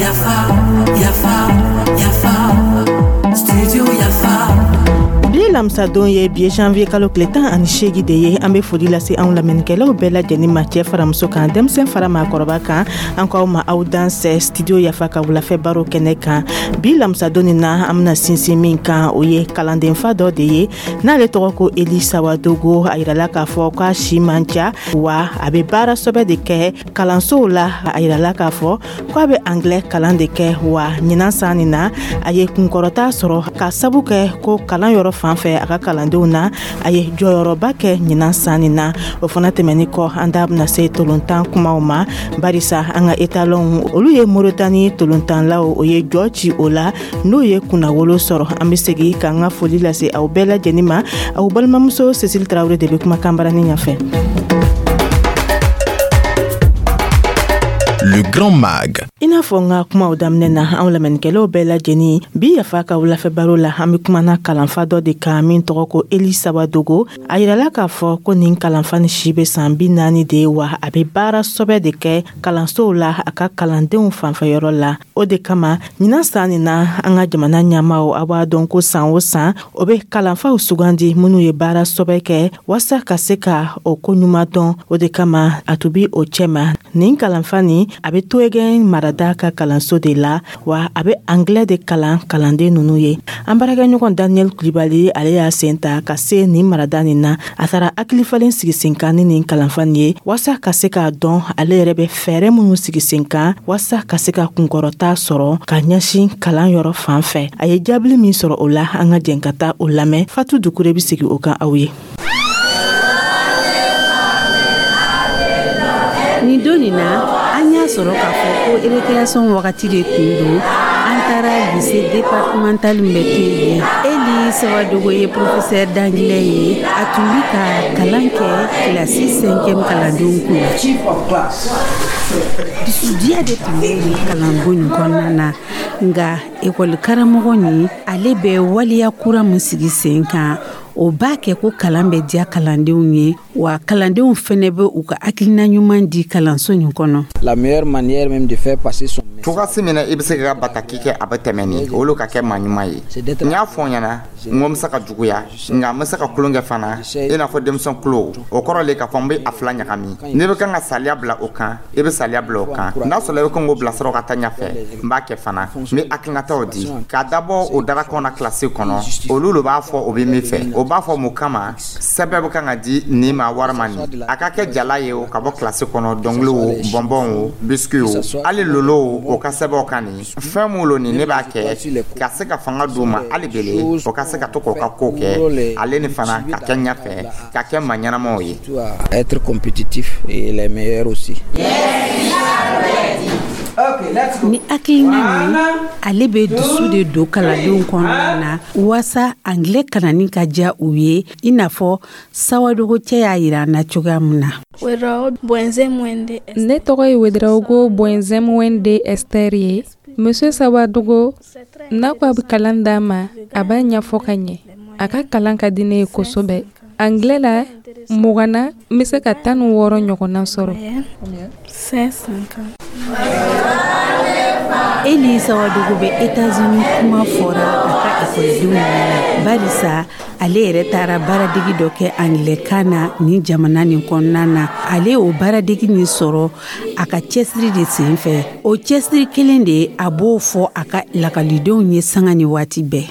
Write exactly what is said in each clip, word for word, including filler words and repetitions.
Yafa, yafa, yafa, studio Yafa. Bi lamisadon ye bi janvier kalo tile tan ani seegi de ye. An be foli lase anw lamɛnnikɛlaw bɛɛ lajɛnin ma, cɛɛ fara muso kan, denmisɛn fara maakɔrɔba kan. An k'aw ma aw dansɛ Studio Yafa ka wulafɛ baro kɛnɛ kan. Bi lamisadon nin na, an bena sinsin min kan, o ye kalandenfa dɔ de ye n'ale tɔgɔ ko Eli Sawadogo. A yirala k'a fɔ k'a si man ca, wa a be baara sɔbɛ de kɛ kalansow la. A yirala k'a fɔ k'a be anglais kalan de kɛ, wa ɲinan san nin na, a ye kunkɔrɔta sɔrɔ ka sabu kɛ ko kalan yɔrɔ fan fɛ a ka kalandenw na, a ye jɔyɔrɔba kɛ ɲinan san nin na. O fana tɛmɛni kɔ, an da bena se tolontan kumaw ma, barisa an ka Étalons, olu ye Moritani tolontanlaw, o ye jɔ ci o la n'o ye kunnawolo sɔrɔ. An be segi k'an ka foli lase aw bɛɛ lajɛnin ma. Aw balimamuso Cécile Tarawele de be kumakan barani ɲafɛ. Le Grand Mag. I n'a fɔ n ka kumaw daminɛ na, anw lamɛnnikɛlaw bɛɛ lajɛnin, bi Yafa ka wulafɛ baro la, an be kumana kalanfa dɔ de kan min tɔgɔ ko Eli Sawadogo. A yirala k'a fɔ ko nin kalanfa ni si be san bi naani de ye, wa a be baara sɔbɛ de kɛ kalansow la a ka kalandenw fanfɛyɔrɔ la. O de kama, ɲinan san nin na, an ka jamana ɲɛmaw, a b'a dɔn ko san o san, o be kalanfaw sugandi minnu ye baara sɔbɛ kɛ waasa ka se ka o ko ɲuman dɔn. O de kama, a tun bi o cɛma. Nin kalanfa nin, a be Toegɛn marada ka kalanso de la, wa a be anglais de kalan kalanden nunu ye. An baarakɛɲɔgɔn Daniel Kulibali, ale y'a sen ta ka se nin marada nin na. A taara hakilifalen sigi sen kan ni nin kalanfa nin ye, waasa ka se k'a dɔn ale yɛrɛ bɛ fɛɛrɛ minnu sigi sen kan waasa ka se ka kunkɔrɔta sɔrɔ ka ɲɛsin kalan yɔrɔ fan fɛ. A ye jaabili min sɔrɔ o la, an ka jɛn ka taa o lamɛn. Fatu Dukure be sigi o kan aw ye. Nin don nin na, an y'a sɔrɔ k'a fɔ ko récréation wagati de tun don. An taara lycée départemental min bɛ to yen. Eli Sawadogo ye professeur d'anglais ye. A tun bi ka kalan kɛ kilasi cinquième kalandenw kun. Dusudiya de tun bɛ nin kalanko nin kɔnɔna na. Nka ekɔli karamɔgɔ nin, ale bɛ waleya kura min sigi sen kan, o b'a kɛ ko kalan bɛ diya kalandenw ye, wa kalandenw fɛnɛ bɛ u ka hakilina ɲuman di kalanso nin kɔnɔ. La meilleure manière même de faire passer son Cogosi min na i bɛ se ka bataki kɛ, a bɛ tɛmɛ nin olu ka kɛ maa ɲuman ye. N y'a fɔ n ɲɛna n ko n bɛ se ka juguya, nka n bɛ se ka tulon kɛ fana, i n'a fɔ denmisɛn kulo. O kɔrɔ le k'a fɔ n bɛ a fila ɲagami. N'i bɛ kan ka saliya bila o kan, i bɛ saliya bila o kan. N'a sɔrɔ i bɛ kan k'o bilasira ka taa ɲɛfɛ, n b'a kɛ fana. N bɛ hakilinataw di k'a dabɔ o darakanw na kilasi kɔnɔ. Olu de b'a fɔ o bɛ min fɛ, o b'a fɔ mun kama sɛbɛn bɛ kan ka di nin ma walima nin a ka kɛ jala ye o ka bɔ kilasi kɔnɔ, dɔnkili o, bɔnbɔn o, biscuit o, hali lolo o, o ka sɛbɛnw kan. Nin fɛn mun lo nin, ne b'a kɛ ka se ka fanga d'u ma hali bele, o ka se ka to k'o ka ko kɛ, ale ni fana ka kɛ ɲɛfɛ, ka kɛ maa ɲɛnamaw ye. Être compétitif et les meilleurs aussi. Ni hakilina nin, ale bɛ dusu de don kalandenw kɔnɔna na waasa anglais kalanni ka diya u ye, i n'a fɔ Sawadogo cɛ y'a yira an na cogoya min na. Ne tɔgɔ ye Wedraogo Bɔnzɛmwende Esther ye. Monsieur Sawadogo n'a ko a bɛ kalan d'a ma, a b'a ɲɛfɔ ka ɲɛ. A ka kalan ka di ne ye kosɛbɛ. Anglais la, mugan na, n bɛ se ka tan ni wɔɔrɔ ɲɔgɔnna sɔrɔ. Eli Sawadogo bɛ États-Unis kuma fɔra a ka ekɔlidenw ɲɛna, barisa ale yɛrɛ taara baaradegi dɔ kɛ anglais na nin jamana nin kɔnɔna na. Ale y'o baaradegi nin sɔrɔ a ka cɛsiri de sen fɛ. O cɛsiri kelen de, a b'o fɔ a ka lakɔlidenw ye sanga ni waati bɛɛ.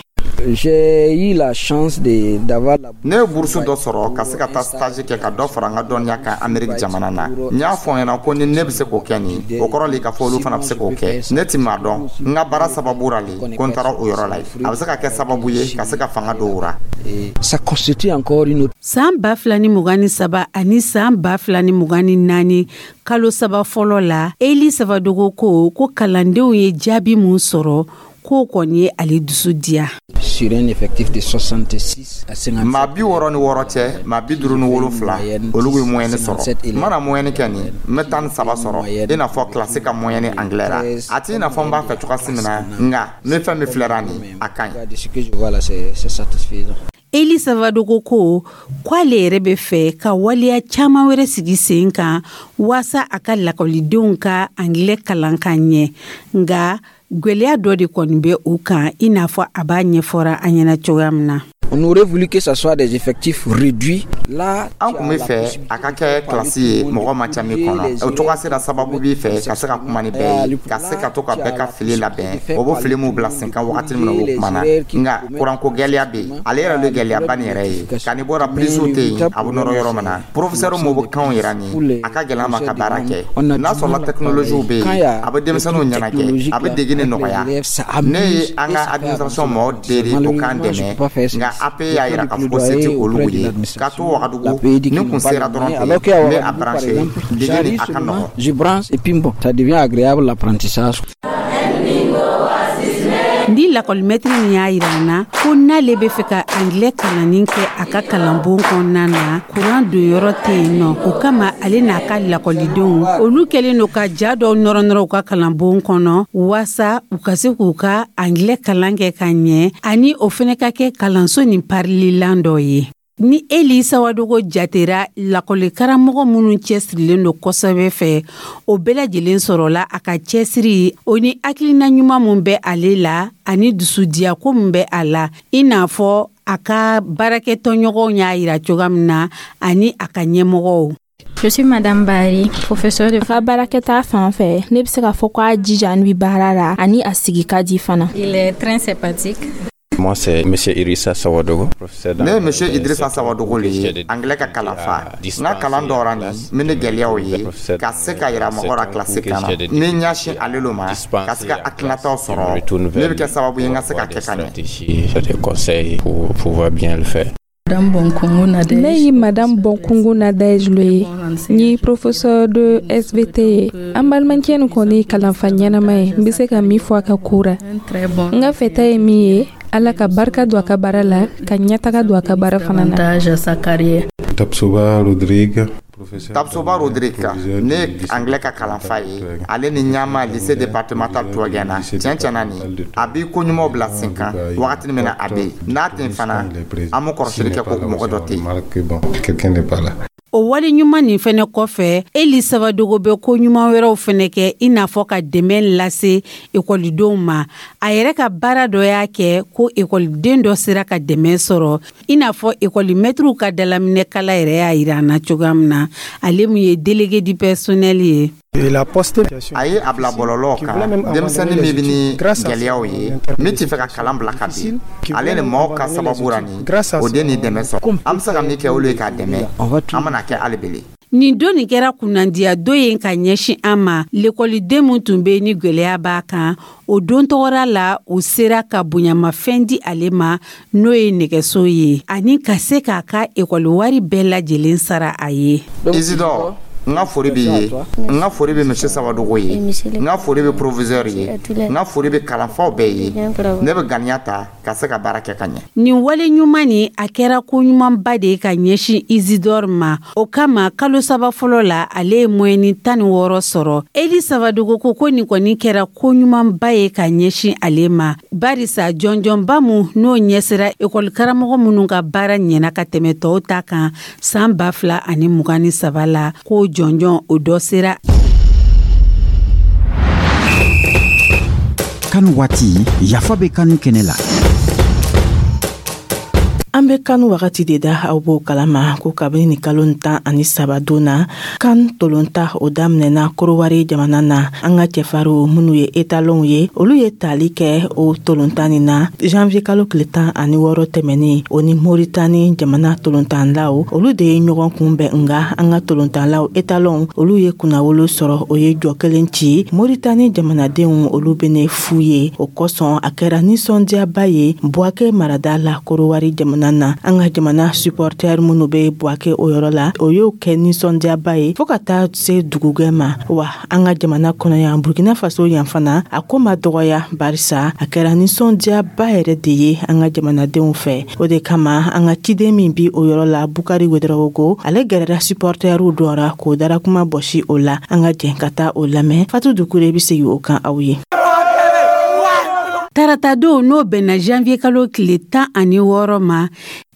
J'ai eu la chance de d'avoir la Ne ye bourse dɔ sɔrɔ ka se ka taa stage kɛ ka dɔ fara n ka dɔnniya kan Amérique jamana na. N y'a fɔ n ɲɛna ko ni ne bɛ se k'o kɛ nin, o kɔrɔ le k'a fɔ olu fana bɛ se k'o kɛ. Ne ti maa dɔn, n ka baara sababu ra le ko n taara o yɔrɔ la yen. A bɛ se ka kɛ sababu ye ka se ka fanga don o ra. Ça constitue encore une autre San ba fila ni mugan ni saba ani san ba fila ni mugan ni naani kalo saba fɔlɔ la, Eli Sawadogo ko ko kalandenw ye jaabi mun sɔrɔ, k'o kɔni ye ale dusu diya. Sur un effectif de soixante-six à cinquante-sept. Maa bi wɔɔrɔ ni wɔɔrɔ cɛ, maa bi duuru ni wolonfila, olu ye moyenne sɔrɔ. N mana moyenne kɛ nin, n bɛ tan ni saba sɔrɔ, i n'a fɔ kilasi ka moyenne anglais la. A t'i n'a fɔ n b'a fɛ cogoya min na, nka n bɛ fɛn min filɛra nin, a ka ɲi. De ce que je vois là, c'est c'est satisfaisant. Eli Savadogo ko k'ale yɛrɛ bɛ fɛ ka waleya caman wɛrɛ sigi sen kan waasa a ka lakɔlidenw ka angilɛ kalan ka ɲɛ, nka gwɛlɛya dɔ de kɔni bɛ u kan, i n'a fɔ a b'a ɲɛfɔra an ɲɛna cogoya min na. On aurait voulu que ça soit des effectifs réduits. Là, an kun bɛ fɛ a ka kɛ kilasi ye mɔgɔ man ca min kɔnɔ. O cogoya sera sababu b'i fɛ ka se ka kuma ni bɛɛ ye, ka se ka to ka bɛɛ ka fili labɛn, o bɛ fili mun bila sen kan wagati min na o kuma na. Nka kuranko gɛlɛya bɛ yen, ale yɛrɛ de gɛlɛyaba nin yɛrɛ ye ka ni bɔra prise tɛ yen, a bɛ nɔrɔ yɔrɔ min na, professeur m'o bɛ kanw yira nin, a ka gɛlɛn ma ka baara kɛ. N'a sɔrɔla technologie bɛ yen, a bɛ denmisɛnninw ɲɛnajɛ, a bɛ degi ni nɔgɔya. Ne ye an ka administration mɔgɔw deli o k'an dɛmɛ, nka A P E y'a yira k'a fɔ ko se tɛ olu ye. Ka to Wagadugu, ni kun sera dɔrɔn ten, n bɛ a branché, dege ni a ka nɔgɔn. Je branche et puis bon, ça devient agréable, l'apprentissage. Ni lakɔlimɛtiri min y'a yira an na ko n'ale bɛ fɛ ka angilɛ kalanni kɛ a ka kalanbon kɔnɔna na, kuran don yɔrɔ tɛ yen nɔ. O kama, ale n'a ka lakɔlidenw, olu kɛlen don ka ja dɔw nɔrɔ nɔrɔ u ka kalanbon kɔnɔ waasa u ka se k'u ka angilɛ kalan kɛ ka ɲɛ, ani o fɛnɛ ka kɛ kalanso nin parililan dɔ ye. Ni Eli Sawadogo jatera lakɔlikaramɔgɔ minnu cɛsirilen don kosɛbɛ fɛ, o bɛɛ lajɛlen sɔrɔla a ka cɛsiri o ni hakilina ɲuman min bɛ ale la ani dusudiyako min bɛ a la, i n'a fɔ a ka baarakɛtɔɲɔgɔnw y'a yira cogoya min na ani a ka ɲɛmɔgɔw. Je suis Madame Bari, professeure de. A ka baarakɛta fan fɛ, ne bɛ se k'a fɔ k'a jija ni baara la ani a sigi ka di fana. Il est très sympathique. Moi, c'est Monsieur Idrissa Sawadogo, professeur. Ne ye Monsieur Idrissa Sawadogo le ye, anglais ka kalanfa. N ka kalan dɔra nin min ni gɛlɛyaw ye ka se ka yira mɔgɔ la kilasi kan na, ni n ɲɛsin ale lo ma ka se ka hakilinataw sɔrɔ, ne bɛ kɛ sababu ye n ka se ka kɛ ka ɲɛ. Des conseils pour pouvoir bien le faire. Ne ye Madame Bonkungu Nadège lo ye, n ye professeur de S V T ye. An balimakɛ nin kɔni ye kalanfa ɲɛnama ye. N bɛ se ka min fɔ a ka ko ra, n ka fɛta ye min ye, Ala ka barika don a ka baara la, ka ɲɛtaga don a ka baara fana na. Tapsoba Rodrigue. Tapsoba Rodrigue, ne ye anglais ka kalanfa ye. Ale ni ɲama lycée départemental Touguéna. Tiɲɛ tiɲɛna, nin a b'i ko ɲumanw bila sen kan wagati min na a bɛ yen, n'a tɛ yen fana, an bɛ kɔrɔsili kɛ ko mɔgɔ dɔ tɛ yen. Quelqu'un n'est pas là. O wale ɲuman nin fɛnɛ kɔfɛ, Eli Sabadogo bɛ ko ɲuman wɛrɛw fɛnɛ kɛ, i n'a fɔ ka dɛmɛ lase ekɔlidenw ma. A yɛrɛ ka baara dɔ y'a kɛ ko ekɔliden dɔ sera ka dɛmɛ sɔrɔ, i n'a fɔ ekɔlimɛtiriw ka dalaminɛkala yɛrɛ y'a yira an na cogoya min na, ale mun ye délégué du personnel ye. A ye a bila bɔlɔlɔ kan, denmisɛnnin min bɛ ni gɛlɛyaw ye, min tɛ fɛ ka kalan bila ka bin, ale ni maaw ka sababu ra nin o den ni dɛmɛ sɔrɔ. An bɛ se ka min kɛ olu ye k'a dɛmɛ, an bɛna kɛ hali bele. Nin don nin kɛra kunnandiya don ye ka ɲɛsin an ma. Lekɔliden min tun bɛ ni gwɛlɛya b'a kan, o don tɔgɔra la, u sera ka bonyamafɛn di ale ma, n'o ye nɛgɛso ye, ani ka se k'a ka ekɔli wari bɛɛ lajɛlen sara a ye. Isidore, n ka foli b'i ye, n ka foli bɛ Monsieur Sawadogo ye, n ka foli bɛ proviseur ye, n ka foli bɛ kalanfaw bɛɛ ye. Ne bɛ ganiya ta ka se ka baara kɛ ka ɲɛ. Nin wale ɲuman nin, a kɛra ko ɲumanba de ye ka ɲɛsin Isidore ma. O kama, kalo saba fɔlɔ la, ale ye moyenne tan ni wɔɔrɔ sɔrɔ. Eli Sabadogo ko ko nin kɔni kɛra ko ɲumanba ye ka ɲɛsin ale ma, barisa jɔnjɔnba mun n'o ɲɛsira ekɔlikaramɔgɔ minnu ka baara ɲɛna ka tɛmɛ tɔw ta kan san ba fila ani mugan ni saba la, k'o jɔnjɔn o dɔ sera. CAN waati, yafa bɛ kanu kɛnɛ la. An bɛ CAN wagati de da, aw b'o kalama ko kabini ni kalo tan ani saba don na, CAN tolonta o daminɛna Korowari jamana na. An ka cɛfarinw minnu ye étalonw ye, olu ye tali kɛ o tolontan nin na janvier kalo tile tan ani wɔɔrɔ tɛmɛnen. O ni Moritani jamana tolontanlaw, olu de ye ɲɔgɔn kunbɛn. Nga an ka tolontanlaw étalonw, olu ye kunnawolo sɔrɔ, o ye jɔ kelen ci. Moritani jamanadenw, olu bɛ fu ye. O kosɔn, a kɛra nisɔndiyaba ye Buwake marada la, Korowari jamana na. An ka jamana supporter minnu bɛ Buwake o yɔrɔ la, o y'o kɛ nisɔndiyaba ye fɔɔ ka taa se dugugɛ ma. Wa an ka jamana kɔnɔ yan, Burkina Faso yan fana, a ko ma dɔgɔya, barisa a kɛra nisɔndiyaba yɛrɛ de ye an ka jamanadenw fɛ. O de kama, an ka ciden min bi o yɔrɔ la, Bukari Wedarawogo, ale gɛrɛra supporteriw dɔ ra k'o dara kuma bɔsi o la. An ka jɛn ka taa o lamɛn. Fatu Dukure bɛ segin o kan aw ye. Tarata don, n'o bɛnna janvier kalo tile tan ani wɔɔrɔ ma,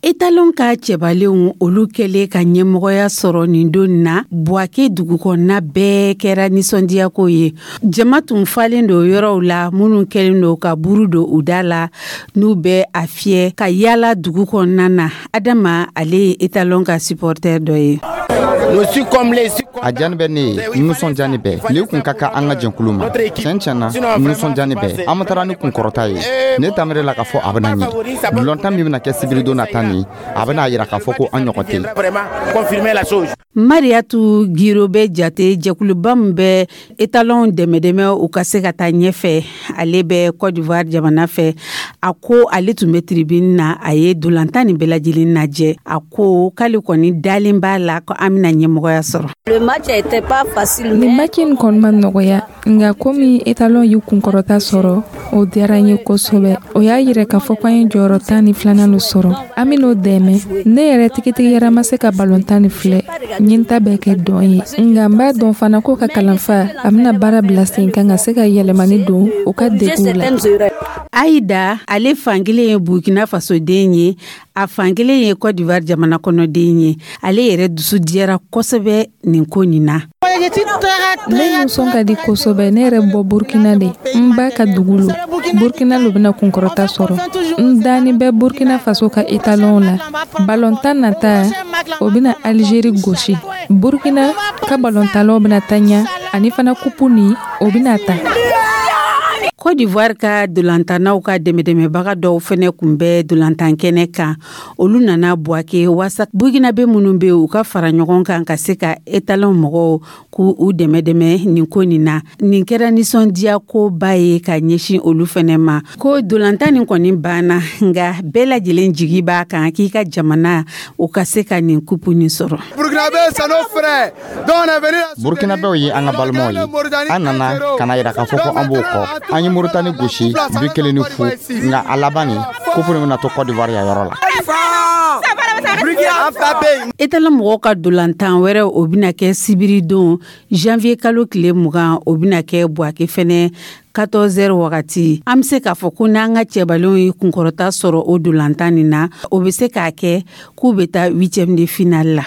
Etalon ka cɛbalenw, olu kɛlen ka ɲɛmɔgɔya sɔrɔ nin don na, Buwake dugukɔnɔna bɛɛ kɛra nisɔndiyako ye. Jama tun falen don yɔrɔw la, minnu kɛlen don ka buru don u da la, n'u bɛ a fiyɛ ka yaala dugu kɔnɔna na. Adama, ale ye Etalon ka supporter dɔ ye. A diyani bɛ ne ye, nisɔndiyani bɛɛ nin kun ka kan an ka jɛnkulu ma. Tiɲɛ tiɲɛ na, nisɔndiyani bɛɛ. An ma taara ni kunkɔrɔta ye. Ne tamere la k'a fɔ a bɛna ɲɛ. Balɔntan min bɛna kɛ sibiridon nata nin, a bɛna yira k'a fɔ ko an ɲɔgɔn tɛ. Mariatu Giro bɛ jate jɛkuluba min bɛ Etalon dɛmɛ dɛmɛ u ka se ka taa ɲɛfɛ. Ale bɛ Côte d'Ivoire jamana fɛ. A ko ale tun bɛ tribune na, a ye dolantan nin bɛɛ lajɛlen lajɛ. A ko k'ale kɔni dalen b'a la ko an bɛna ɲɛmɔgɔya sɔrɔ. Nin match in kɔni ma nɔgɔya, nka komi Etalon y'u kunkɔrɔta sɔrɔ, o diyara n ye kosɛbɛ. O y'a yira k'a fɔ ko an ye jɔyɔrɔ tan ni filanan lo sɔrɔ. An ben'o dɛmɛ. Ne yɛrɛ tigitigiyara ma se ka balontan ni filɛ, n ye n ta bɛɛ kɛ dɔn ye, nka n b'a dɔn fana ko ka kalanfa a bɛna baara bila sen kan ka se ka yɛlɛmani don u ka deguw la. Ayida, ale fankelen ye Burkina Faso den ye, a fankelen ye Côte d'Ivoire jamana kɔnɔden ye. Ale yɛrɛ dusu diyara kosɛbɛ nin ko nin na. Ne nisɔn ka di kosɛbɛ. Ne yɛrɛ bɔ Burkina de, n ba ka dugu lo. Burkina lo bɛna kunkɔrɔta sɔrɔ. N dani bɛ Burkina Faso ka Etalon la. Balontan nata, o bɛna Algérie gosi. Burkina ka balontalaw bɛna taa ɲa, ani fana kupu nin, o bɛna ta. Côte d'Ivoire ka dolantannaw ka dɛmɛdɛmɛbaga dɔw fɛnɛ kun bɛ dolantan kɛnɛ kan. Olu nana Buwake waasa Burkinabe minnu be u ka fara ɲɔgɔn kan ka se ka Etalon mɔgɔw k'u u dɛmɛ dɛmɛ nin ko nin na. Nin kɛra nisɔndiya koba ye ka ɲɛsin olu fɛnɛ ma. Ko dolantan nin kɔni banna, nga bɛɛ lajɛlen jigi b'a kan k'i ka jamana o ka se ka nin kupu nin sɔrɔ. Burkinabɛw ye an ka balimaw ye. An nana ka na yira k'a fɔ ko an b'o kɔ. An ye Moritani gosi bi kelen ni fu, nka a laban nin, kupu nin bɛna to Côte d'Ivoire yan yɔrɔ la. Etalon mɔgɔw ka dolantan wɛrɛ, o bɛna kɛ sibiridon janvier kalo tile mugan. O bɛna kɛ Buwake fɛnɛ quatorze heures wagati. An bɛ se k'a fɔ ko n'an ka cɛbalenw ye kunkɔrɔta sɔrɔ o dolantan nin na, o bɛ se k'a kɛ k'u bɛ taa huitième de finale la.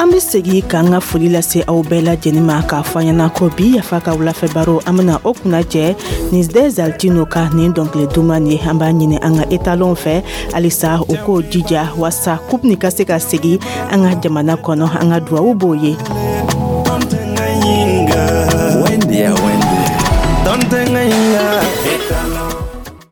An be segi k'an ka foli lase aw bɛɛ lajɛnin ma, k'a fɔ ɲɛna ko bi Yafa ka wulafɛ baro, an bena o kunnajɛ ni Dɛzaltino ka nin dɔnkili duman ye. An b'a ɲini an ka Etalon fɛ halisa, u k'o jija waasa coupe nin ka se ka segi an ka jamana kɔnɔ. An ka duwawu b'o ye. Wendia, Wendy.